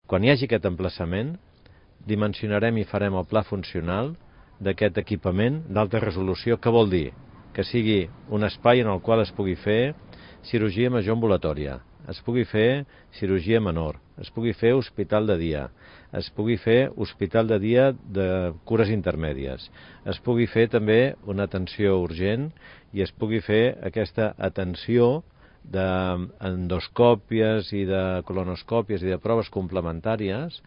Quan hi hagi aquest emplaçament, dimensionarem i farem el pla funcional d'aquest equipament d'alta resolució. Què vol dir? Que sigui un espai en el qual es pugui fer cirurgia major ambulatòria, es pugui fer cirurgia menor, es pugui fer hospital de dia, es pugui fer hospital de dia de cures intermèdies, es pugui fer també una atenció urgent i es pugui fer aquesta atenció d'endoscòpies i de colonoscòpies i de proves complementàries